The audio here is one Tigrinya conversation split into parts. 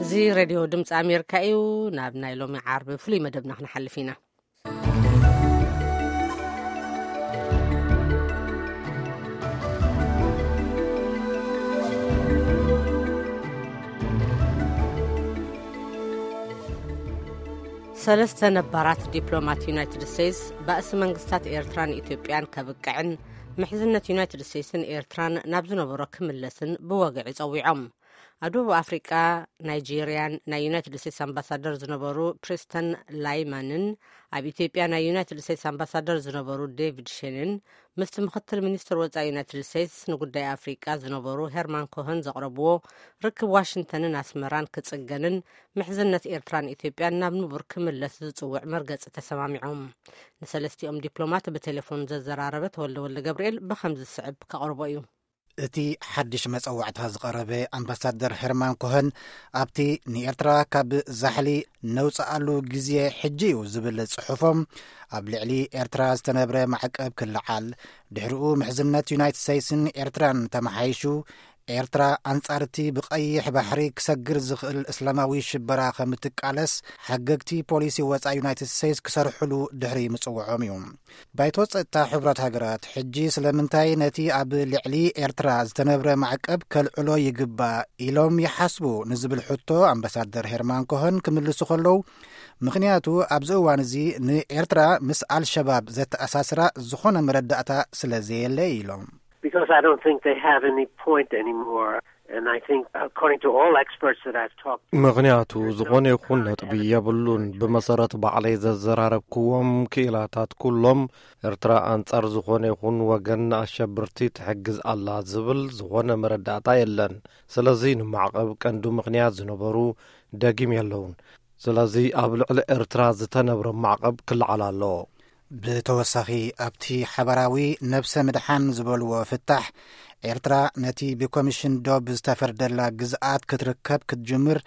እዚ ሬድዮ ድምፂ ኣሜሪካ እዩ። ናብ ናይ ሎሚ ዓርቢ ፍሉይ መደብና ክንሓልፍ ኢና። ሰለስተ ነባራት ዲፕሎማት ዩናይትድ ስቴትስ፣ ባእሲ መንግስታት ኤርትራን ኢትዮጵያን ከብቅዕን፣ ምሕዝነት ዩናይትድ ስቴትስን ኤርትራን ናብ ዝነበሮ ክምለስን ብወግዒ ጸዊዖም። ኣብ ደቡብ ኣፍሪቃ፣ ናይጄርያን ናይ ዩናይትድ ስቴትስ ኣምባሳደር ዝነበሩ ፕሪስተን ላይማንን፣ ኣብ ኢትዮጵያ ናይ ዩናይትድ ስቴትስ ኣምባሳደር ዝነበሩ ዴቪድ ሼንን፣ ምስቲ ምክትል ሚኒስትር ወጻኢ ዩናይትድ ስቴትስ ንጉዳይ ኣፍሪቃ ዝነበሩ ሄርማን ኮኸን ዘቕረብዎ፣ ርክብ ዋሽንግተንን ኣስመራን ክጽገንን፣ ምሕዝነት ኤርትራን ኢትዮጵያን ናብ ንቡር ክምለስ ዝጽውዕ መርገጺ ተሰማሚዖም። ንሰለስቲኦም ዲፕሎማት ብቴሌፎን ዘዘራረበ ተወልደ ወልደ ገብርኤል ብኸምዚ ዝስዕብ ከቕርቦ እዩ። እቲ ሓድሽ መጸዋዕታ ዝቐረበ ኣምባሳደር ሄርማን ኮኸን፣ ኣብቲ ንኤርትራ ካብ ዛሕሊ ነውጽኣሉ ግዜ ሕጂ እዩ ዝብል ጽሑፎም፣ ኣብ ልዕሊ ኤርትራ ዝተነብረ ማዕቀብ ክለዓል፣ ድሕሪኡ ምሕዝነት ዩናይትድ ስቴትስን ኤርትራን ተመሓይሹ፣ ኤርትራ ኣንጻር እቲ ብቐይሕ ባሕሪ ክሰግር ዝኽእል እስላማዊ ሽበራ ከም እትቃለስ፣ ሓገግቲ ፖሊሲ ወጻኢ ዩናይትድ ስቴትስ ክሰርሕሉ ድሕሪ ምጽውዖም እዩ። ባይቶ ጸጥታ ሕቡራት ሃገራት ሕጂ ስለምንታይ ነቲ ኣብ ልዕሊ ኤርትራ ዝተነብረ ማዕቀብ ከልዕሎ ይግባእ ኢሎም ይሓስቡ ንዝብል ሕቶ ኣምባሳደር ሄርማን ኮኸን ክምልሱ ከለዉ፣ ምኽንያቱ ኣብዚ እዋን እዚ ንኤርትራ ምስ ኣልሸባብ ዘተኣሳስራ ዝኾነ መረዳእታ ስለ ዘየለ ኢሎም። Because I don't think they have any point anymore. And I think, according to all experts that I've talked to, ምኽንያቱ ዝኾነ ይኹን ነጥቢ የብሉን። ብመሰረት ባዕለይ ዘዘራረብክዎም ክኢላታት፣ ኩሎም ኤርትራ ኣንጻር ዝኾነ ይኹን ወገን ንኣሸብርቲ ትሕግዝ ኣላ ዝብል ዝኾነ መረዳእታ የለን። ስለዚ ንማዕቐብ ቀንዲ ምኽንያት ዝነበሩ ደጊም የለውን። ስለዚ ኣብ ልዕሊ ኤርትራ ዝተነብረ ማዕቐብ ክለዓል ኣለዎ። ብተወሳኺ፣ ኣብቲ ሓባራዊ ነብሰ ምድሓን ዝበልዎ ፍታሕ፣ ኤርትራ ነቲ ብኮሚሽን ዶብ ዝተፈርደላ ግዝኣት ክትርከብ ክትጅምር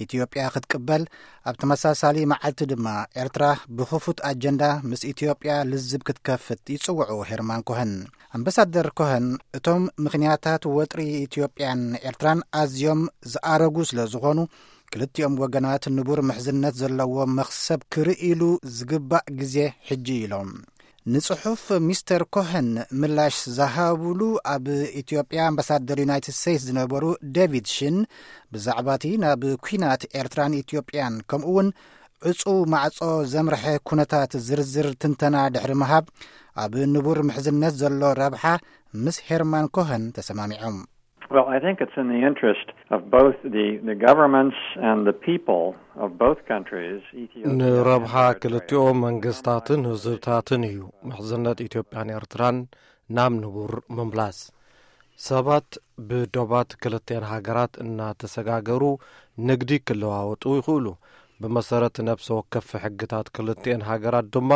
ኢትዮጵያ ክትቅበል፣ ኣብ ተመሳሳሊ መዓልቲ ድማ ኤርትራ ብኽፉት ኣጀንዳ ምስ ኢትዮጵያ ልዝብ ክትከፍት ይጽውዑ ሄርማን ኮኸን። ኣምባሳደር ኮኸን፣ እቶም ምኽንያታት ወጥሪ ኢትዮጵያን ኤርትራን ኣዝዮም ዝኣረጉ ስለ ዝኾኑ፣ ክልቲኦም ወገናት ንቡር ምሕዝነት ዘለዎ መኽሰብ ክርእይሉ ዝግባእ ግዜ ሕጂ ኢሎም። ንጽሑፍ ሚስተር ኮኸን ምላሽ ዝሃብሉ፣ ኣብ ኢትዮጵያ ኣምባሳደር ዩናይትድ ስቴትስ ዝነበሩ ዴቪድ ሽን፣ ብዛዕባ እቲ ናብ ኲናት ኤርትራን ኢትዮጵያን፣ ከምኡ እውን ዕጹው ማዕጾ ዘምርሐ ኩነታት ዝርዝር ትንተና ድሕሪ ምሃብ፣ ኣብ ንቡር ምሕዝነት ዘሎ ረብሓ ምስ ሄርማን ኮኸን ተሰማሚዖም። Well, I think it's in the interest of both the, the governments and the people of both countries, Ethiopia and ንረብሓ Eritrea. ክልቲኦም መንግስታትን ህዝብታትን እዩ ምሕዝነት ኢትዮጵያን ኤርትራን ናብ ንቡር ምምላስ። ሰባት ብዶባት ክልቲኤን ሃገራት እናተሰጋገሩ ንግዲ ክለዋወጡ ይኽእሉ። ብመሰረት ነፍሲ ወከፍ ሕግታት ክልቲኤን ሃገራት ድማ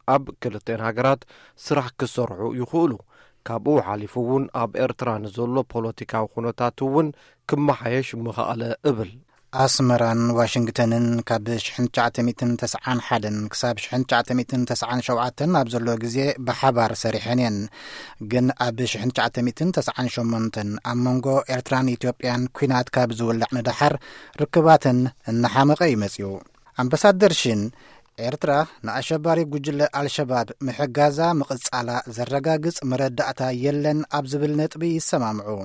ኣብ ክልቲኤን ሃገራት ስራሕ ክሰርሑ ይኽእሉ። ካብኡ ሓሊፉ እውን ኣብ ኤርትራ ንዘሎ ፖለቲካዊ ኩነታት እውን ክመሓየሽ ምኸኣለ እብል። ኣስመራን ዋሽንግተንን ካብ ሽሕን ትሽዓተ ሚእትን ተስዓን ሓደን ክሳብ ሽሕን ትሽዓተ ሚእትን ተስዓን ሸውዓተን ኣብ ዘሎ ግዜ ብሓባር ሰሪሐን እየን። ግን ኣብ ሽሕን ትሽዓተ ሚእትን ተስዓን ሸሞንተን ኣብ መንጎ ኤርትራን ኢትዮጵያን ኲናት ካብ ዝውላዕ ንደሓር ርክባተን እናሓመቐ እዩ መጺኡ። ኣምባሳደር ሽን፣ ኤርትራ ንኣሸባሪ ጉጅለ ኣልሸባብ ምሕጋዛ ምቕጻላ ዘረጋግጽ መረዳእታ የለን ኣብ ዝብል ነጥቢ ይሰማምዑ።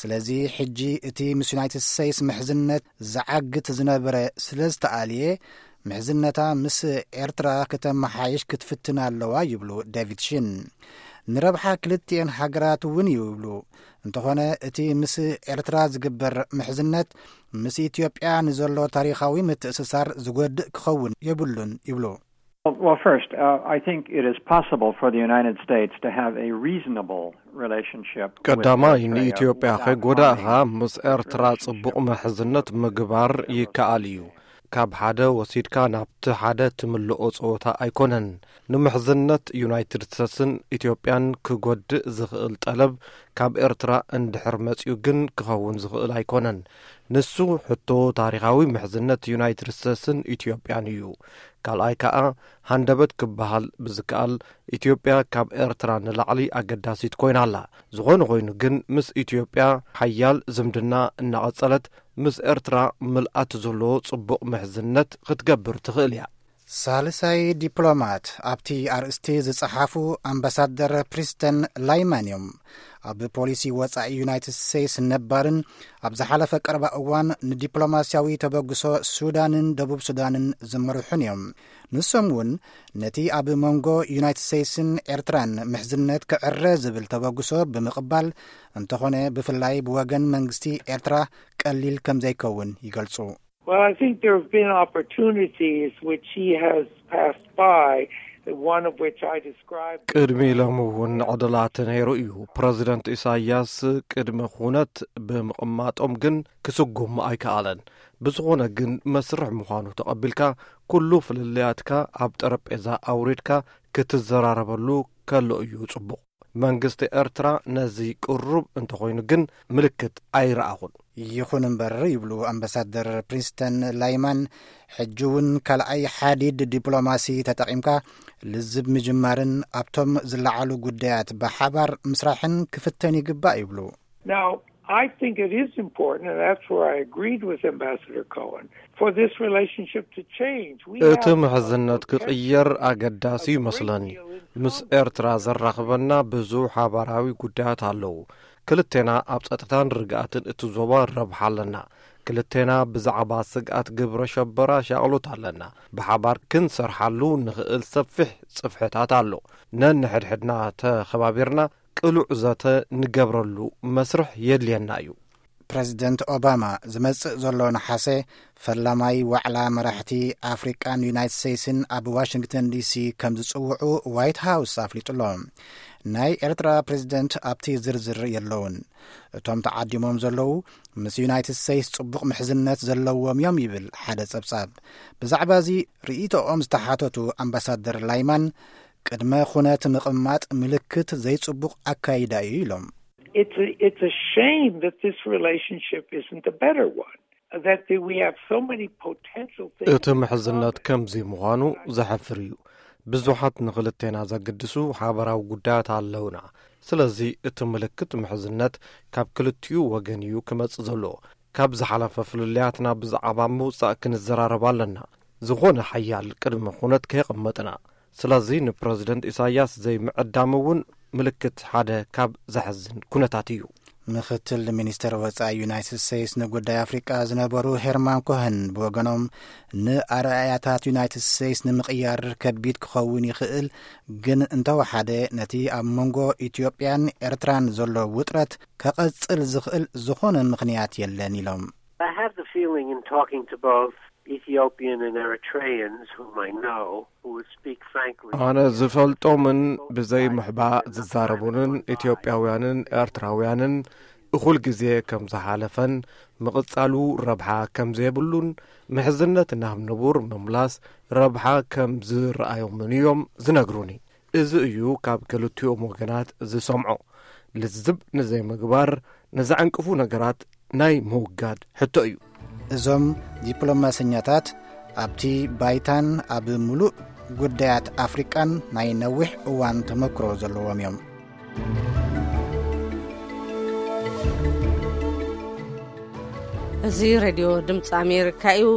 ስለዚ ሕጂ እቲ ምስ ዩናይትድ ስቴትስ ምሕዝነት ዝዓግት ዝነበረ ስለ ዝተኣልየ፣ ምሕዝነታ ምስ ኤርትራ ከተመሓይሽ ክትፍትን ኣለዋ ይብሉ ዴቪድ ሽን። ንረብሓ ክልቲኤን ሃገራት እውን ይብሉ። እንተኾነ እቲ ምስ ኤርትራ ዝግበር ምሕዝነት ምስ ኢትዮጵያ ንዘሎ ታሪኻዊ ምትእስሳር ዝጎድእ ክኸውን የብሉን ይብሉ። Well, first, uh, I think it is possible for the United States to have a reasonable relationship with ቀዳማይ፣ Eritrea ንኢትዮጵያ without ከይጎዳእኻ harming ምስ ኤርትራ Eritrean ጽቡቕ ምሕዝነት ምግባር ይከኣል እዩ። ካብ ሓደ ወሲድካ ናብቲ ሓደ ትምልኦ ጸወታ ኣይኮነን። ንምሕዝነት ዩናይትድ ስቴትስን ኢትዮጵያን ክጎድእ ዝኽእል ጠለብ ካብ ኤርትራ እንድሕር መጺኡ ግን ክኸውን ዝኽእል ኣይኮነን። ንሱ ሕቶ ታሪኻዊ ምሕዝነት ዩናይትድ ስቴትስን ኢትዮጵያን እዩ። ካልኣይ ከኣ፣ ሃንደበት ክበሃል ብዝከኣል፣ ኢትዮጵያ ካብ ኤርትራ ንላዕሊ ኣገዳሲት ኮይና ኣላ። ዝኾነ ኮይኑ ግን፣ ምስ ኢትዮጵያ ሓያል ዝምድና እናቐጸለት ምስ ኤርትራ ምልኣት ዘለዎ ጽቡቕ ምሕዝነት ክትገብር ትኽእል እያ። ሳልሳይ ዲፕሎማት ኣብቲ ኣርእስቲ ዝጸሓፉ ኣምባሳደር ፕሪስተን ላይማን እዮም። ኣብ ፖሊሲ ወጻኢ ዩናይትድ ስቴትስ ነባርን ኣብ ዝሓለፈ ቀረባ እዋን ንዲፕሎማስያዊ ተበግሶ ሱዳንን ደቡብ ሱዳንን ዝመርሑን እዮም። ንሶም እውን ነቲ ኣብ መንጎ ዩናይትድ ስቴትስን ኤርትራን ምሕዝነት ክዕረ ዝብል ተበግሶ ብምቕባል፣ እንተኾነ ብፍላይ ብወገን መንግስቲ ኤርትራ ቀሊል ከም ዘይከውን ይገልጹ። Well, I think there have been opportunities which he has passed by, one of which I described. ቅድሚ ሎሚ እውን ዕድላት ነይሩ እዩ። ፕረዚደንት ኢሳያስ ቅድሚ ኩነት ብምቕማጦም ግን ክስጉም ኣይከኣለን። ብዝኾነ ግን መስርሕ ምዃኑ ተቐቢልካ፣ ኩሉ ፍልልያትካ ኣብ ጠረጴዛ ኣውሪድካ ክትዘራረበሉ ከሎ እዩ ጽቡቕ። መንግስቲ ኤርትራ ነዚ ቅሩብ እንተኾይኑ ግን ምልክት ኣይረኣኹን። ይኹን እምበር፣ ይብሉ ኣምባሳደር ፕሪንስተን ላይማን፣ ሕጂ እውን ካልኣይ ሓዲድ ዲፕሎማሲ ተጠቒምካ ልዝብ ምጅማርን ኣብቶም ዝለዓሉ ጉዳያት ብሓባር ምስራሕን ክፍተን ይግባእ ይብሉ። Now, I think it is important, and that's where I agreed with Ambassador Cohen, for this relationship to change. We እቲ have ምሕዝነት ክቕየር ኣገዳሲ ይመስለኒ። ምስ ኤርትራ ዘራኽበና ብዙ ሓባራዊ ጉዳያት ኣለዉ። ክልቴና ኣብ ጸጥታን ርግኣትን እቲ ዞባ ረብሓ ኣለና። ክልቴና ብዛዕባ ስግኣት ግብረ ሸበራ ሻቕሎት ኣለና። ብሓባር ክንሰርሓሉ ንኽእል ሰፊሕ ጽፍሕታት ኣሎ። ነንሕድሕድና ተኸባቢርና ቅሉዕ ዘተ ንገብረሉ መስርሕ የድልየና እዩ። ፕረዚደንት ኦባማ ዝመጽእ ዘሎ ነሓሰ ፈላማይ ዋዕላ መራሕቲ ኣፍሪቃን ዩናይትድ ስቴትስን ኣብ ዋሽንግተን ዲሲ ከም ዝጽውዑ ዋይት ሃውስ ኣፍሊጡ ኣሎ። ናይ ኤርትራ ፕረዚደንት ኣብቲ ዝርዝር የለውን። እቶም ተዓዲሞም ዘለዉ ምስ ዩናይትድ ስቴትስ ጽቡቕ ምሕዝነት ዘለዎም እዮም ይብል ሓደ ጸብጻብ። ብዛዕባ እዚ ርእይቶኦም ዝተሓተቱ ኣምባሳደር ላይማን፣ ቅድመ ኩነት ምቕማጥ ምልክት ዘይጽቡቕ ኣካይዳ እዩ ኢሎም። It's a, it's a shame that this relationship isn't a better one, that we have so many potential things. እቲ ምሕዝነት ከምዚ ምዃኑ ዘሕፍር እዩ። ብዙሓት ንኽልቴና ዘግድሱ ሓበራዊ ጉዳያት ኣለውና። ስለዚ እቲ ምልክት ምሕዝነት ካብ ክልቲኡ ወገን እዩ ክመጽእ ዘለዎ። ካብ ዝሓለፈ ፍልልያትና ብዛዕባ ምውጻእ ክንዘራረብ ኣለና። ዝኾነ ሓያል ቅድመ ኩነት ከየቐመጥና። ስለዚ ንፕረዚደንት ኢሳያስ ዘይምዕዳም እውን ምልክት ሓደ ካብ ዘሕዝን ኩነታት እዩ። ምክትል ሚኒስተር ወጻኢ ዩናይትድ ስቴትስ ንጉዳይ ኣፍሪቃ ዝነበሩ ሄርማን ኮህን ብወገኖም፣ ንኣረኣእያታት ዩናይትድ ስቴትስ ንምቕያር ከቢድ ክኸውን ይኽእል፣ ግን እንተወሓደ ነቲ ኣብ መንጎ ኢትዮጵያን ኤርትራን ዘሎ ውጥረት ከቐጽል ዝኽእል ዝኾነ ምኽንያት የለን ኢሎም። I have the feeling in talking to both Ethiopian and Eritreans, whom I know, who would speak frankly. ኣነ ዝፈልጦምን ብዘይ ምሕባእ ዝዛረቡንን ኢትዮጵያውያንን ኤርትራውያንን እኹል ግዜ ከም ዝሓለፈን ምቕጻሉ ረብሓ ከም ዘይብሉን ምሕዝነት ናብ ንቡር ምምላስ ረብሓ ከም ዝረኣዮምን እዮም ዝነግሩኒ። እዚ እዩ ካብ ክልቲኦም ወገናት ዝሰምዖ። ልዝብ ንዘይምግባር ንዘዕንቅፉ ነገራት ናይ ምውጋድ ሕቶ እዩ። እዞም ዲፕሎማሰኛታት ኣብቲ ባይታን ኣብ ምሉእ ጉዳያት ኣፍሪቃን ናይ ነዊሕ እዋን ተመክሮ ዘለዎም እዮም። እዚ ሬድዮ ድምፂ ኣሜሪካ እዩ።